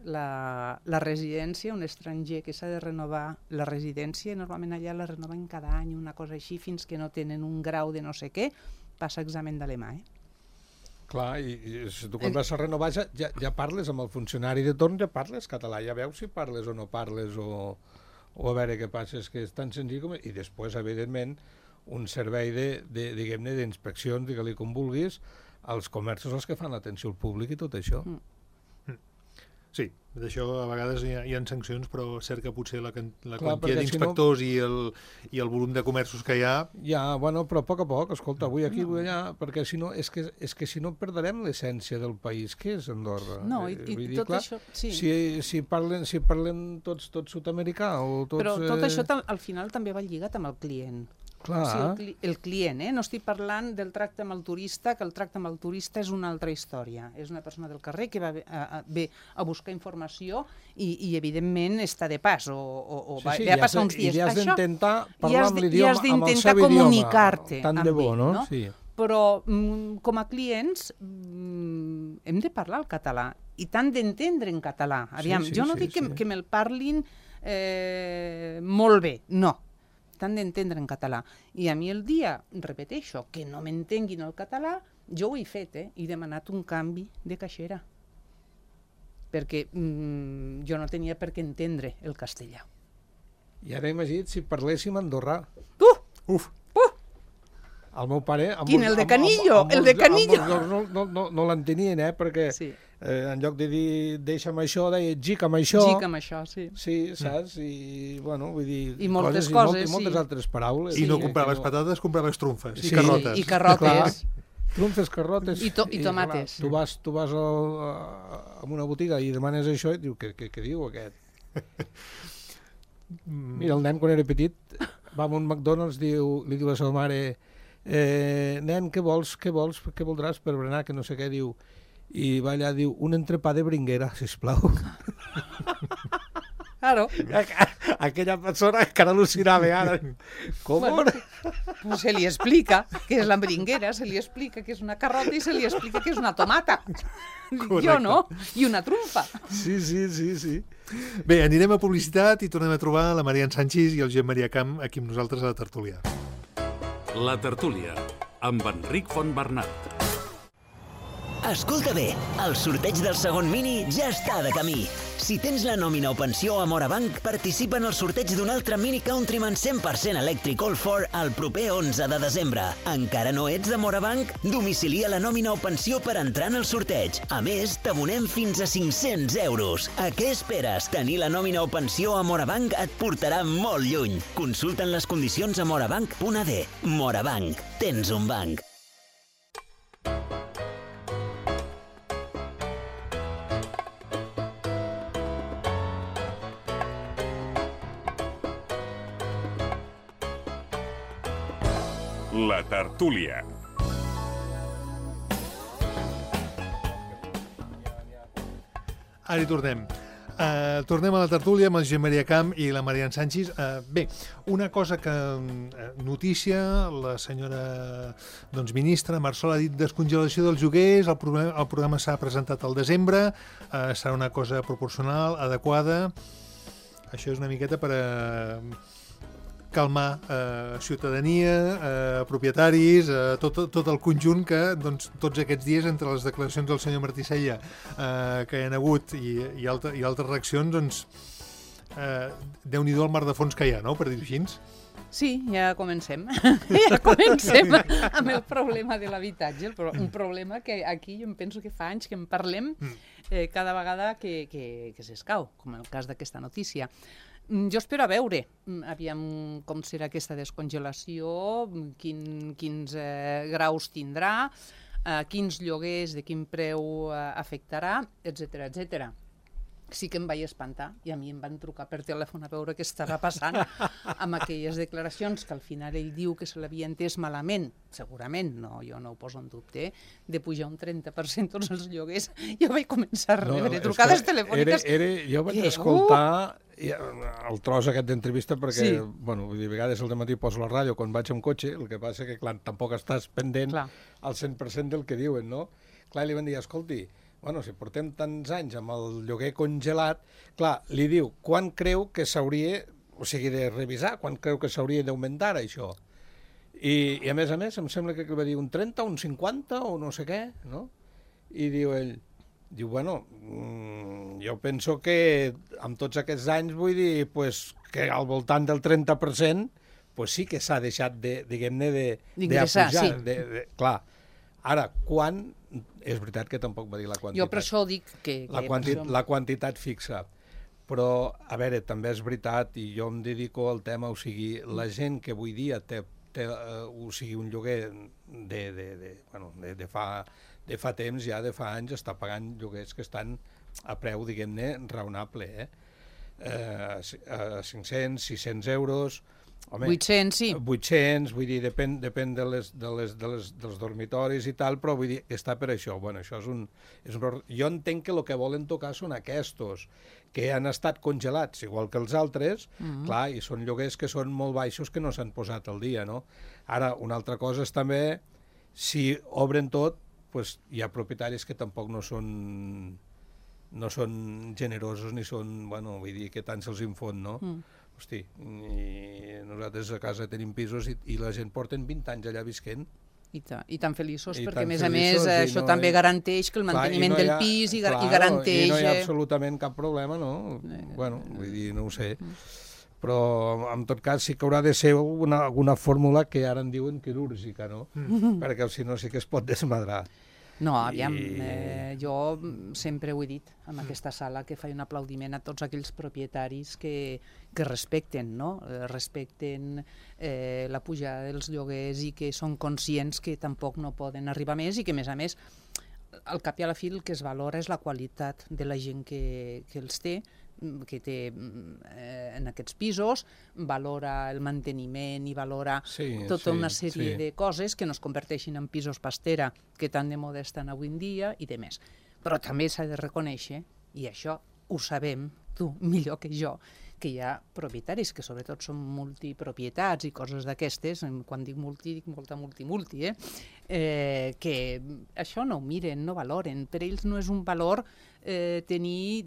[SPEAKER 2] la residència, un estranger que s'ha de renovar la residència, normalment allà la renoven cada any, una cosa així, fins que no tenen un grau de no sé què, passa examen d'alemà,
[SPEAKER 4] Clar, i si tu quan vas a renovar ja parles amb el funcionari de torn, ja parles català, ja veus si parles o no parles, o a veure què passa, és que és tan senzill com... I després, evidentment, un servei diguem-ne, d'inspeccions, digue-li com vulguis, als comerços els que fan l'atenció al públic i tot això.
[SPEAKER 3] Sí, d'això a vegades hi ha sancions, però és cert que potser la quantia d'inspectors i el volum de comerços que hi ha...
[SPEAKER 4] Ja, bueno, però a poc, escolta, avui aquí, avui allà, perquè si no, és que si no perdrem l'essència del país, què és Andorra?
[SPEAKER 2] No, i tot això... Sí.
[SPEAKER 4] Si parlen tots sud-americà o tots...
[SPEAKER 2] Però tot això al final també va lligat amb el client.
[SPEAKER 4] Clar.
[SPEAKER 2] O sigui, el client, no estic parlant del tracte amb el turista, que el tracte amb el turista és una altra història. És una persona del carrer que ve a buscar informació i evidentment està de pas o ve a passar uns dies.
[SPEAKER 4] I has d'intentar parlar amb l'idioma, amb el seu idioma.
[SPEAKER 2] I has d'intentar comunicar-te
[SPEAKER 4] tant de bo, no? Sí.
[SPEAKER 2] Però com a clients hem de parlar el català i tant d'entendre en català. Aviam, jo no dic que me'l parlin molt bé, no. Tant d'entendre en català. I a mi el dia, repeteixo, que no m'entenguin el català, jo ho he fet, he demanat un canvi de caixera. Perquè jo no tenia per què entendre el castellà.
[SPEAKER 4] I ara imagina't si parléssim andorrà.
[SPEAKER 3] Uf!
[SPEAKER 4] El meu pare...
[SPEAKER 2] Quin, el de Canillo? El de Canillo?
[SPEAKER 4] No l'entenien, perquè... Sí. En lloc de dir deixa'm això, deia gic amb això.
[SPEAKER 2] Gic amb això, sí.
[SPEAKER 4] Sí, saps? I, bueno, vull dir...
[SPEAKER 2] I moltes coses,
[SPEAKER 4] i moltes altres paraules.
[SPEAKER 3] I no compraves patates, compraves trumfes i carrotes.
[SPEAKER 2] I carrotes.
[SPEAKER 4] Trumfes, carrotes...
[SPEAKER 2] I tomates.
[SPEAKER 4] Tu vas a una botiga i demanes això i diu, què diu aquest? Mira, el nen quan era petit va a un McDonald's, li diu a la seva mare nen, què voldràs per berenar, que no sé què, diu... I va allà, diu, un entrepà de bringuera, sisplau.
[SPEAKER 2] Claro.
[SPEAKER 4] Aquella persona encara al·lucinava ara. Com?
[SPEAKER 2] Bueno, pues se li explica què és la bringuera, se li explica què és una carrota i se li explica què és una tomata. Correcte. Jo no, i una trumfa.
[SPEAKER 4] Sí.
[SPEAKER 3] Bé, anirem a publicitat i tornem a trobar la Marian Sanchis i el Josep Maria Camp aquí amb nosaltres a la tertúlia.
[SPEAKER 1] La tertúlia, amb Enric Fontbernat.
[SPEAKER 5] Escolta bé, el sorteig del segon mini ja està de camí. Si tens la nòmina o pensió a Morabanc, participa en el sorteig d'un altre Mini Countryman 100% elèctric All4 el proper 11 de desembre. Encara no ets de Morabanc? Domicilia la nòmina o pensió per entrar en el sorteig. A més, t'abonem fins a 500 euros. A què esperes? Tenir la nòmina o pensió a Morabanc et portarà molt lluny. Consulta'n les condicions a morabanc.ad. Morabanc. Tens un banc.
[SPEAKER 1] La tertúlia.
[SPEAKER 3] Ara hi tornem. Tornem a la tertúlia amb el Josep Maria Camp i la Marian Sanchis. Bé, una cosa que... notícia, la senyora ministra Marsol ha dit descongelació dels lloguers, el programa s'ha presentat al desembre, serà una cosa proporcional, adequada. Això és una miqueta per calmar ciutadania, propietaris, tot el conjunt que tots aquests dies, entre les declaracions del senyor Martí Sella que hi ha hagut i altres reaccions, Déu-n'hi-do el mar de fons que hi ha, no?, per dir-ho així.
[SPEAKER 2] Sí, ja comencem. Ja comencem amb el problema de l'habitatge, un problema que aquí jo em penso que fa anys que en parlem cada vegada que s'escau, com el cas d'aquesta notícia. Jo espero a veure, aviam com serà aquesta descongelació, quins graus tindrà, quins lloguers, de quin preu afectarà, etc. Sí que em vaig espantar i a mi em van trucar per telèfon a veure què estava passant amb aquelles declaracions que al final ell diu que se l'havia entès malament, segurament, jo no ho poso en dubte, de pujar un 30% tots els lloguers. Jo vaig començar a rebre trucades telefòniques.
[SPEAKER 4] Jo vaig escoltar el tros aquest d'entrevista perquè, bueno, a vegades al dematí poso la ràdio quan vaig amb cotxe, el que passa que, clar, tampoc estàs pendent al 100% del que diuen, no? Clar, li van dir, escolti, bueno, si portem tants anys amb el lloguer congelat, clar, li diu, quan creu que s'hauria, o sigui, de revisar, quan creu que s'hauria d'augmentar això? I a més, em sembla que va dir un 30, un 50 o no sé què, no? I diu ell, bueno, jo penso que amb tots aquests anys, vull dir, pues, que al voltant del 30%, pues sí que s'ha deixat, diguem-ne,
[SPEAKER 2] d'ingressar,
[SPEAKER 4] sí. Clar, ara, quan... És veritat que tampoc va dir la quantitat.
[SPEAKER 2] Jo per això dic que...
[SPEAKER 4] La quantitat fixa. Però, a veure, també és veritat, i jo em dedico al tema, o sigui, la gent que avui dia té o sigui, un lloguer de fa temps, ja de fa anys, està pagant lloguers que estan a preu, diguem-ne, raonable, 500, 600 euros... Home,
[SPEAKER 2] 800, sí.
[SPEAKER 4] 800, vull dir, depèn dels dormitoris i tal, però vull dir que està per això. Bueno, això és un... Jo entenc que el que volen tocar són aquests, que han estat congelats, igual que els altres, clar, i són lloguers que són molt baixos que no s'han posat al dia, no? Ara, una altra cosa és també, si obren tot, pues, hi ha propietaris que tampoc no són generosos ni són, bueno, vull dir que tant se'ls infon, no? Hosti, i nosaltres a casa tenim pisos i la gent porten 20 anys allà visquent.
[SPEAKER 2] I tan feliços, perquè a més a més això també garanteix que el manteniment del pis i garanteix...
[SPEAKER 4] I no hi ha absolutament cap problema, no? Bueno, vull dir, no ho sé. Però en tot cas sí que haurà de ser alguna fórmula que ara en diuen quirúrgica, no? Perquè si no sí que es pot desmadrar.
[SPEAKER 2] No, aviam, jo sempre ho he dit en aquesta sala, que faig un aplaudiment a tots aquells propietaris que respecten, no? Respecten la pujada dels lloguers i que són conscients que tampoc no poden arribar més i que, a més, al cap i a la fi el que es valora és la qualitat de la gent que els té, que té en aquests pisos, valora el manteniment i valora tota una sèrie de coses que no es converteixin en pisos pastera, que tan de moda estan avui en dia i de més. Però també s'ha de reconèixer, i això ho sabem tu millor que jo, que hi ha propietaris que sobretot són multipropietats i coses d'aquestes, quan dic multi, dic molta multi, que això no ho miren, no valoren. Per ells no és un valor tenir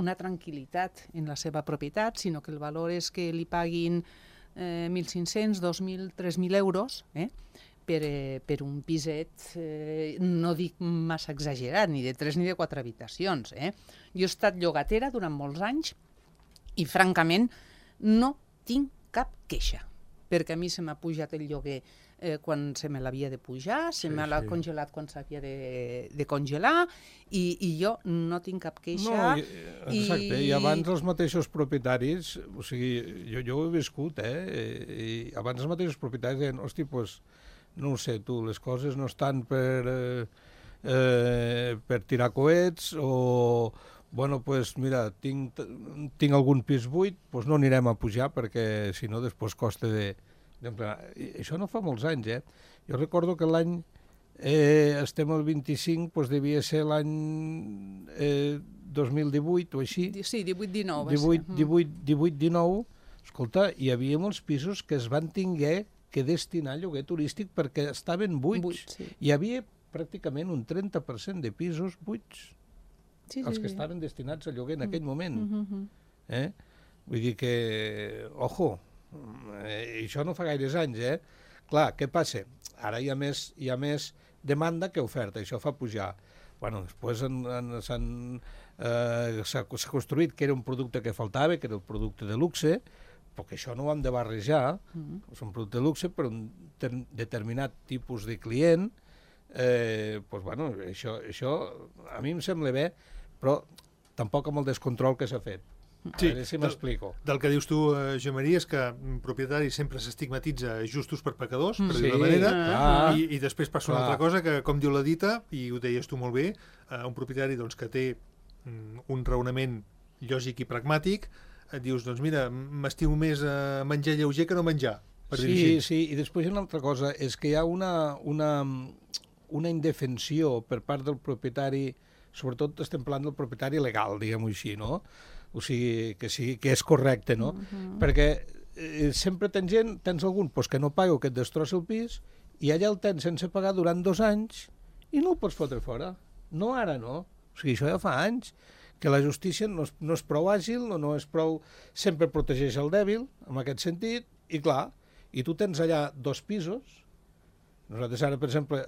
[SPEAKER 2] una tranquil·litat en la seva propietat, sinó que el valor és que li paguin 1.500, 2.000, 3.000 euros per un piset, no dic massa exagerat, ni de 3 ni de 4 habitacions. Jo he estat llogatera durant molts anys i, francament, no tinc cap queixa, perquè a mi se m'ha pujat el lloguer quan se me l'havia de pujar, se me l'ha congelat quan s'havia de congelar, i jo no tinc cap queixa.
[SPEAKER 4] No, exacte, i abans els mateixos propietaris, o sigui, jo ho he viscut, i abans els mateixos propietaris deien, hosti, doncs, no ho sé, tu, les coses no estan per tirar coets, o... Bueno, doncs mira, tinc algun pis buit, doncs no anirem a pujar perquè si no després costa d'emplenar. Això no fa molts anys, Jo recordo que l'any, estem al 25, doncs devia ser l'any 2018 o així.
[SPEAKER 2] Sí, 18-19 va ser.
[SPEAKER 4] 18-19, escolta, hi havia molts pisos que es van tinguer que destinar a lloguer turístic perquè estaven buits. Hi havia pràcticament un 30% de pisos buits. Els que estaven destinats a lloguer en aquell moment. Vull dir que, ojo, això no fa gaires anys, Clar, què passa? Ara hi ha més demanda que oferta, això fa pujar. Bueno, després s'ha construït que era un producte que faltava, que era el producte de luxe, perquè això no ho hem de barrejar, és un producte de luxe per un determinat tipus de client. Doncs, bueno, això a mi em sembla bé, però tampoc amb el descontrol que s'ha fet.
[SPEAKER 3] Sí,
[SPEAKER 4] a veure si m'explico.
[SPEAKER 3] Del que dius tu, Joan Maria, és que un propietari sempre s'estigmatitza justos per pecadors, per dir-ho manera, i després passa una altra cosa que, com diu la dita, i ho deies tu molt bé, un propietari que té un raonament lògic i pragmàtic, et dius, doncs mira, m'estimo més menjar lleuger que no menjar.
[SPEAKER 4] Sí, i després una altra cosa, és que hi ha una indefensió per part del propietari, sobretot estem parlant del propietari legal, diguem-ho així, no? O sigui, que és correcte, no? Perquè sempre tens algun que no paga o que et destrossa el pis i allà el tens sense pagar durant 2 anys i no el pots fotre fora. No ara, no. O sigui, això ja fa anys que la justícia no és prou àgil, no és prou... Sempre protegeix el dèbil, en aquest sentit, i clar, i tu tens allà 2 pisos. Nosaltres ara, per exemple,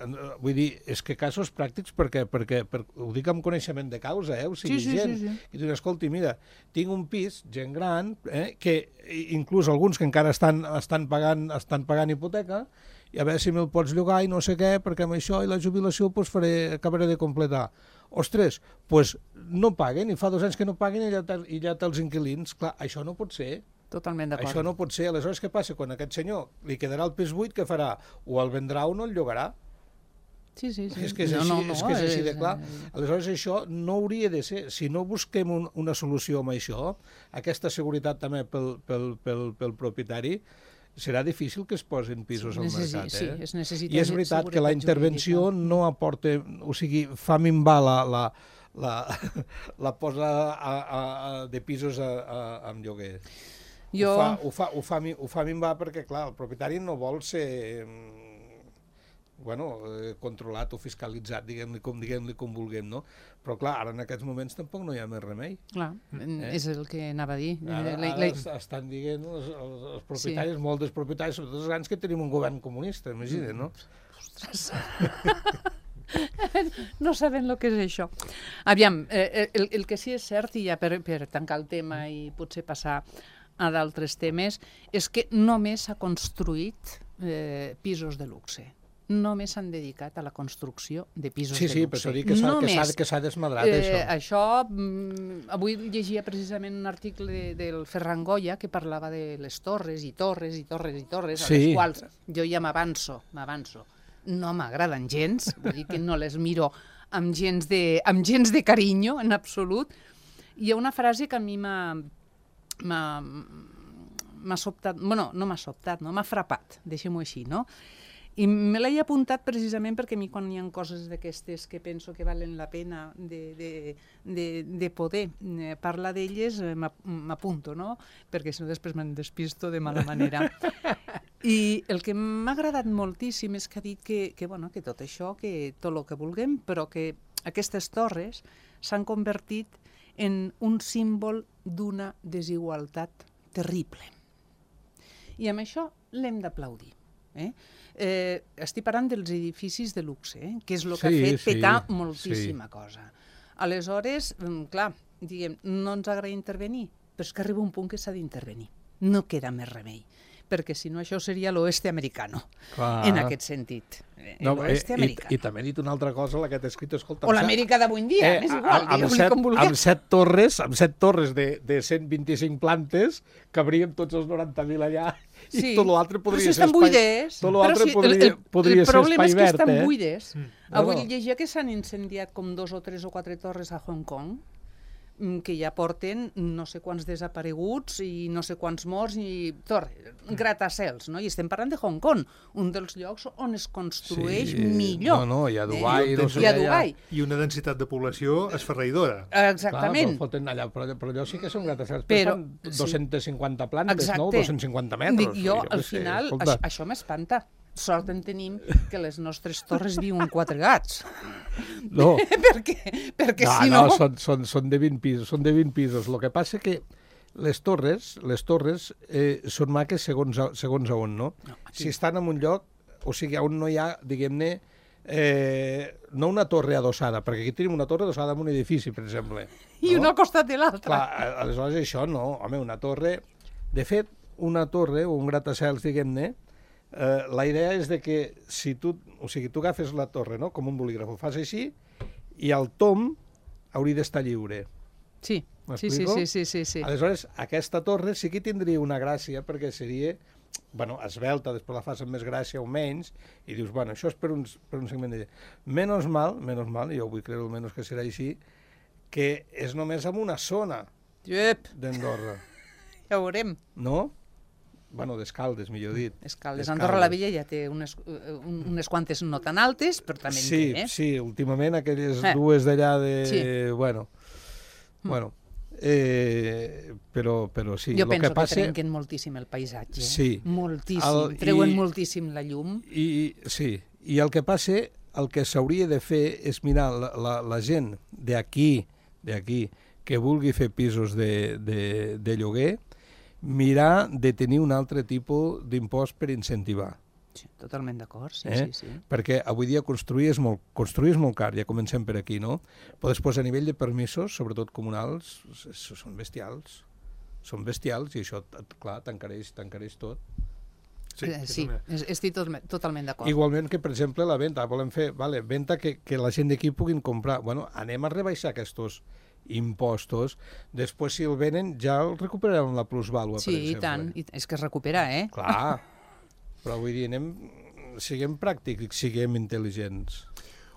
[SPEAKER 4] vull dir, és que casos pràctics perquè ho dic amb coneixement de causa, o sigui, gent que diu, escolti, mira, tinc un pis, gent gran, que inclús alguns que encara estan pagant hipoteca, i a veure si me'l pots llogar i no sé què, perquè amb això i la jubilació acabaré de completar. Ostres, doncs no paguen, i fa 2 anys que no paguen i ja té els inquilins. Clar, això no pot ser.
[SPEAKER 2] Totalment d'acord.
[SPEAKER 4] Això no pot ser. Aleshores, què passa? Quan aquest senyor li quedarà el pis buit, què farà? O el vendrà o no el llogarà.
[SPEAKER 2] Sí.
[SPEAKER 4] És que és així de clar. Aleshores, això no hauria de ser. Si no busquem una solució amb això, aquesta seguretat també pel propietari, serà difícil que es posin pisos al mercat.
[SPEAKER 2] Sí, es necessita.
[SPEAKER 4] I és veritat que la intervenció no aporta... O sigui, fa minvar la posada de pisos en lloguer. Ho fa minvar perquè, clar, el propietari no vol ser controlat o fiscalitzat, diguem-li com vulguem, no? Però, clar, ara en aquests moments tampoc no hi ha més remei.
[SPEAKER 2] Clar, és el que anava a dir.
[SPEAKER 4] Ara estan dient els propietaris, molts dels propietaris, sobretot els grans, que tenim un govern comunista, imagina't, no?
[SPEAKER 2] Ostres! No saben el que és això. Aviam, el que sí és cert, i ja per tancar el tema i potser passar a d'altres temes, és que només s'ha construït pisos de luxe. Només s'han dedicat a la construcció de pisos de luxe.
[SPEAKER 4] Sí, per això dic que s'ha desmadrat, això.
[SPEAKER 2] Avui llegia precisament un article del Ferran Goya que parlava de les torres i torres i torres i torres, a les quals jo ja m'avanço. No m'agraden gens, vull dir que no les miro amb gens de carinyo, en absolut. Hi ha una frase que a mi m'ha sobtat, bueno, no m'ha sobtat, no m'ha frapat, deixem-ho així, no? I me l'he apuntat precisament perquè a mi quan hi ha coses d'aquestes que penso que valen la pena de poder parlar d'elles, m'apunto, no? Perquè si no després me'n despisto de mala manera. I el que m'ha agradat moltíssim és que ha dit que tot això, que tot el que vulguem, però que aquestes torres s'han convertit en un símbol d'una desigualtat terrible. I amb això l'hem d'aplaudir. Estic parlant dels edificis de luxe, que és el que ha fet petar moltíssima cosa. Aleshores, clar, diguem, no ens agrada intervenir, però és que arriba un punt que s'ha d'intervenir. No queda més remei, perquè si no això seria l'oeste americano, en aquest sentit.
[SPEAKER 4] I també he dit una altra cosa, la que t'he escrit, escolta...
[SPEAKER 2] O l'Amèrica d'avui en dia, és igual, digueu-li com vulgueu.
[SPEAKER 4] Amb 7 torres de 125 plantes, cabríem tots els 90.000 allà, i tot l'altre podria ser espai... Tot l'altre podria ser espai verd,
[SPEAKER 2] El problema és que estan buides. Avui llegia que s'han incendiat com 2 o 3 o 4 torres a Hong Kong, que ja porten no sé quants desapareguts i no sé quants morts i gratacels, no? I estem parlant de Hong Kong, un dels llocs on es construeix millor.
[SPEAKER 4] No, i a Dubai.
[SPEAKER 3] I una densitat de població esferraïdora.
[SPEAKER 2] Exactament.
[SPEAKER 4] Però allò sí que són gratacels, però fan 250 plantes, no? 250 metres.
[SPEAKER 2] Dic jo, al final, això m'espanta. Sort en tenim que les nostres torres viuen 4 gats.
[SPEAKER 4] No.
[SPEAKER 2] perquè si no...
[SPEAKER 4] Són de 20 pisos, El que passa que les torres són maques segons a on, no? Si estan en un lloc, o sigui, on no hi ha, diguem-ne, no una torre adossada, perquè aquí tenim una torre adossada en un edifici, per exemple.
[SPEAKER 2] I una al costat de l'altra.
[SPEAKER 4] Clar, aleshores això no. Home, una torre... De fet, una torre o un gratacels, diguem-ne, la idea és de que si tu agafes la torre, no?, com un bolígraf, ho fas així, i el tom hauria d'estar lliure.
[SPEAKER 2] Sí.
[SPEAKER 4] Aleshores, aquesta torre sí que tindria una gràcia, perquè seria, esvelta, després la fas amb més gràcia o menys, i dius, això és per un segment de... Menos mal, jo vull creure almenys que serà així, que és només en una zona d'Andorra.
[SPEAKER 2] Ja ho veurem.
[SPEAKER 4] No? D'Escaldes, millor dit.
[SPEAKER 2] Escaldes. Andorra la Vella ja té unes quantes no tan altes, però també en té,
[SPEAKER 4] Sí, últimament aquelles dues d'allà de... Bueno. Però sí.
[SPEAKER 2] Jo penso que trenquen moltíssim el paisatge.
[SPEAKER 4] Sí.
[SPEAKER 2] Moltíssim. Treuen moltíssim la llum.
[SPEAKER 4] Sí. I el que passa, el que s'hauria de fer és mirar la gent d'aquí, que vulgui fer pisos de lloguer, mirar de tenir un altre tipus d'impost per incentivar.
[SPEAKER 2] Sí, totalment d'acord, sí.
[SPEAKER 4] Perquè avui dia construir és molt car, ja comencem per aquí, no? Però després, a nivell de permisos, sobretot comunals, són bestials. Són bestials i això, clar, t'encareix tot.
[SPEAKER 2] Sí, estic totalment d'acord.
[SPEAKER 4] Igualment que, per exemple, la venda. Volem fer venda que la gent d'aquí puguin comprar. Bueno, anem a rebaixar aquests impostos. Després, si el venen, ja el recuperarem la plusvàlua, per exemple.
[SPEAKER 2] Sí, i tant. És que es recupera,
[SPEAKER 4] Clar. Però vull dir, siguem pràctics, siguem intel·ligents.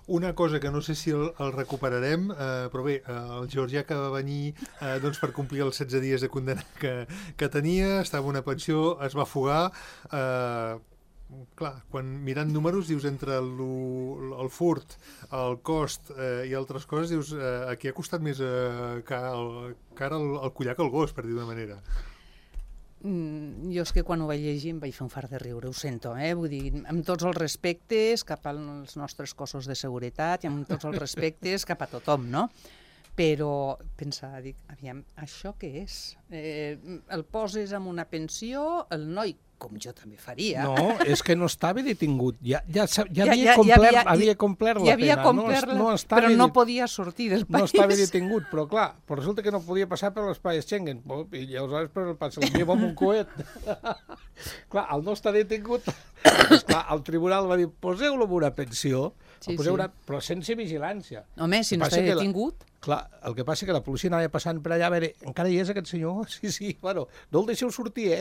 [SPEAKER 3] Una cosa que no sé si el recuperarem, però bé, el georgià que va venir per complir els 16 dies de condemna que tenia, estava en una pensió, es va fugar. Clar, quan mirant números dius entre el furt, el cost i altres coses, dius aquí ha costat més car el collar que el gos, per dir d'una manera.
[SPEAKER 2] Jo és que quan ho vaig llegir em vaig fer un fart de riure, ho sento, vull dir, amb tots els respectes cap als nostres cossos de seguretat i amb tots els respectes cap a tothom, no? Però pensava, dic, aviam, això què és? El poses en una pensió, el noi, com jo també faria...
[SPEAKER 4] No, és que no estava detingut, ja havia complert la pena,
[SPEAKER 2] però no podia sortir del país.
[SPEAKER 4] No estava detingut, però clar, resulta que no podia passar per l'espai Schengen, i aleshores se l'envia amb un coet. Clar, al no estar detingut, el tribunal va dir, poseu-lo en una pensió, però sense vigilància.
[SPEAKER 2] Home, si no està detingut...
[SPEAKER 4] Clar, el que passa és que la policia anava passant per allà a veure, encara hi és aquest senyor? Sí, bueno, no el deixeu sortir,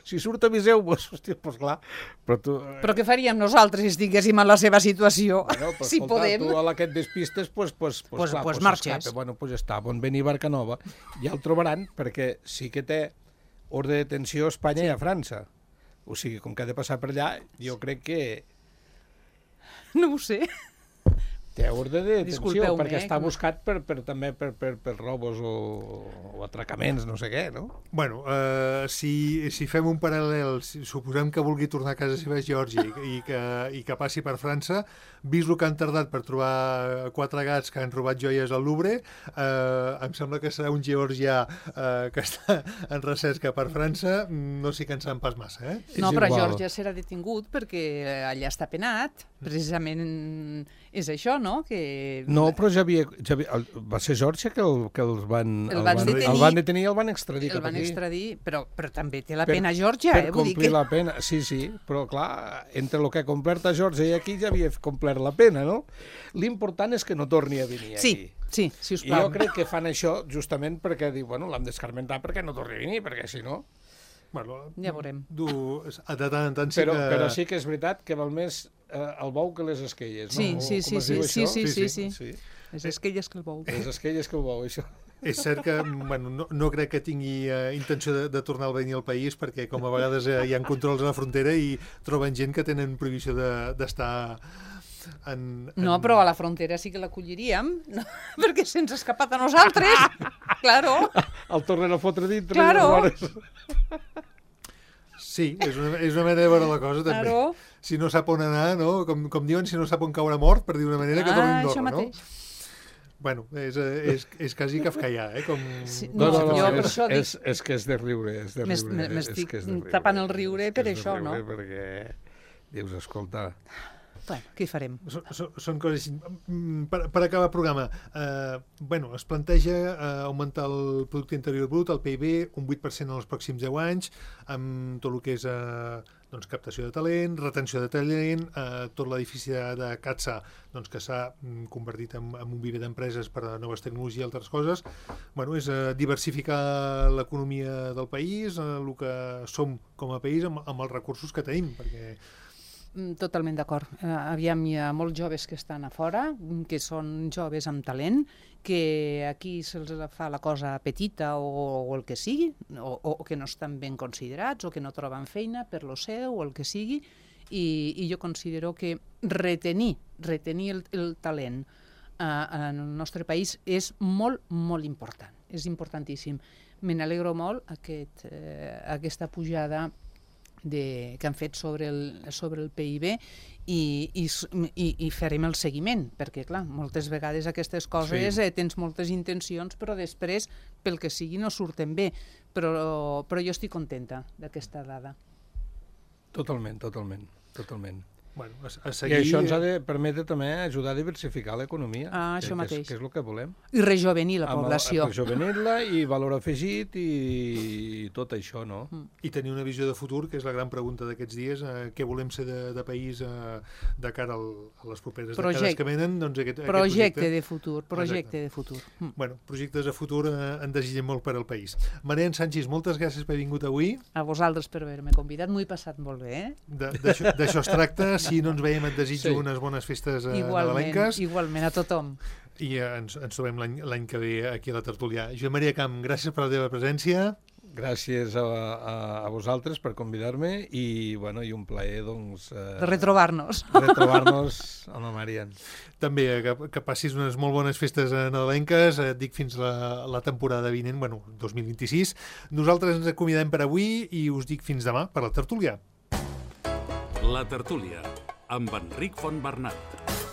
[SPEAKER 4] Si surt aviseu-vos. Hòstia, doncs clar.
[SPEAKER 2] Però què faríem nosaltres si estiguéssim en la seva situació? Si podem...
[SPEAKER 4] Tu a aquest despistes, doncs marxes. Bueno, doncs està, bon venir a Barcanova. Ja el trobaran, perquè sí que té ordre de detenció a Espanya i a França. O sigui, com que ha de passar per allà, jo crec que...
[SPEAKER 2] No ho sé.
[SPEAKER 4] Té ordre de detenció, perquè està buscat també per robos o atracaments, no sé què, no?
[SPEAKER 3] Bueno, si fem un paral·lel, suposem que vulgui tornar a casa seva a Geòrgia i que passi per França, vist el que han tardat per trobar 4 gats que han robat joies al Louvre, em sembla que serà un georgià que està en recerca per França, no s'hi cansaran pas massa,
[SPEAKER 2] No, però Geòrgia serà detingut perquè allà està penat, precisament és això, no?
[SPEAKER 4] No, però ja havia... Va ser Geòrgia que els van detenir i el van extradir cap aquí.
[SPEAKER 2] El van extradir, però també té la pena Geòrgia,
[SPEAKER 4] Per complir la pena, sí, però clar, entre el que ha complert a Geòrgia i aquí ja havia complert la pena, no? L'important és que no torni a venir aquí.
[SPEAKER 2] Sí, si us plau.
[SPEAKER 4] I jo crec que fan això justament perquè diu, bueno, l'hem d'escarmentar perquè no torni a venir, perquè si no...
[SPEAKER 3] Bueno,
[SPEAKER 2] ja veurem.
[SPEAKER 3] De tant en tant sí que...
[SPEAKER 4] Però sí que és veritat que val més el bou que les esquelles, no?
[SPEAKER 2] Sí. Les esquelles que el bou.
[SPEAKER 4] Les esquelles que el bou, això.
[SPEAKER 3] És cert que no crec que tingui intenció de tornar a venir al país perquè com a vegades hi ha controls a la frontera i troben gent que tenen prohibició d'estar...
[SPEAKER 2] No, però a la frontera sí que l'acolliríem, perquè se'ns ha escapat a nosaltres. Claro.
[SPEAKER 4] El tornen a fotre dintre.
[SPEAKER 2] Claro.
[SPEAKER 3] Sí, és una manera de veure la cosa, també.
[SPEAKER 2] Claro.
[SPEAKER 3] Si no sap on anar, no? Com diuen, si no sap on caure mort, per dir una manera, que torni a Andorra, no? Bueno, és quasi kafkaià, Com...
[SPEAKER 2] Sí,
[SPEAKER 4] no, és que és de riure,
[SPEAKER 2] M'estic tapant el riure per això, no?
[SPEAKER 4] Perquè dius, escolta...
[SPEAKER 2] Bueno, què hi farem?
[SPEAKER 3] Són coses així. Per acabar el programa, es planteja augmentar el producte interior brut, el PIB, un 8% en els pròxims 10 anys, amb tot el que és captació de talent, retenció de talent, tot l'edifici de CATSA que s'ha convertit en un viver d'empreses per a noves tecnologies i altres coses. És diversificar l'economia del país, el que som com a país amb els recursos que tenim, perquè...
[SPEAKER 2] Totalment d'acord. Aviam, hi ha molts joves que estan a fora, que són joves amb talent, que aquí se'ls fa la cosa petita o el que sigui, o que no estan ben considerats, o que no troben feina per lo seu, o el que sigui, i jo considero que retenir el talent en el nostre país és molt, molt important. És importantíssim. Me n'alegro molt aquesta pujada que han fet sobre el PIB i farem el seguiment, perquè clar, moltes vegades aquestes coses tens moltes intencions però després pel que sigui no surten bé, però jo estic contenta d'aquesta dada.
[SPEAKER 4] Totalment.
[SPEAKER 3] Bueno,
[SPEAKER 4] I això ens ha de permetre també ajudar a diversificar l'economia,
[SPEAKER 2] això mateix.
[SPEAKER 4] Que és el que volem.
[SPEAKER 2] I rejovenir la població.
[SPEAKER 4] Rejovenir-la i valor afegit i tot això, no?
[SPEAKER 3] I tenir una visió de futur, que és la gran pregunta d'aquests dies, què volem ser de país de cara a les properes dècades que venen, doncs aquest
[SPEAKER 2] projecte de futur.
[SPEAKER 3] Bueno, projectes de futur en desitgem molt per al país. Marian Sanchis, moltes gràcies per haver vingut avui.
[SPEAKER 2] A vosaltres per haver-me convidat, m'ho he passat molt bé,
[SPEAKER 3] D'això es tracta. Si no ens veiem, et desitjo unes bones festes nadalenques.
[SPEAKER 2] Igualment, a tothom.
[SPEAKER 3] I ens trobem l'any que ve aquí a la tertúlia. Joan Maria Camp, gràcies per la teva presència.
[SPEAKER 4] Gràcies a vosaltres per convidar-me i un plaer, doncs...
[SPEAKER 2] de retrobar-nos.
[SPEAKER 4] Amb la Marian.
[SPEAKER 3] També que passis unes molt bones festes nadalenques, et dic fins la temporada vinent, 2026. Nosaltres ens acomiadem per avui i us dic fins demà per la tertúlia.
[SPEAKER 1] La tertúlia, amb Enric Fontbernat.